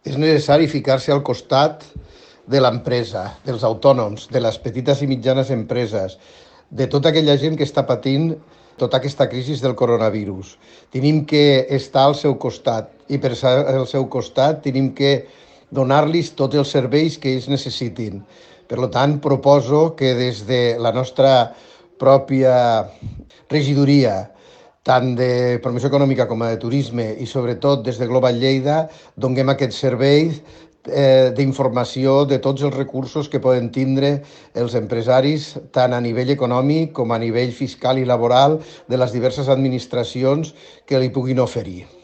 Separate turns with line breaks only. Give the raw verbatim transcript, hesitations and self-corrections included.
És necessari ficar-se al costat de l'empresa, dels autònoms, de les petites i mitjanes empreses, de tota aquella gent que està patint tota aquesta crisi del coronavirus. Tenim que estar al seu costat i per estar al seu costat tenim que donar-los tots els serveis que ells necessitin. Per tant, proposo que des de la nostra pròpia regidoria, tant de promoció econòmica com de turisme i sobretot des de Global Lleida, donem aquest servei eh, d'informació de tots els recursos que poden tindre els empresaris, tant a nivell econòmic com a nivell fiscal i laboral de les diverses administracions que li puguin oferir.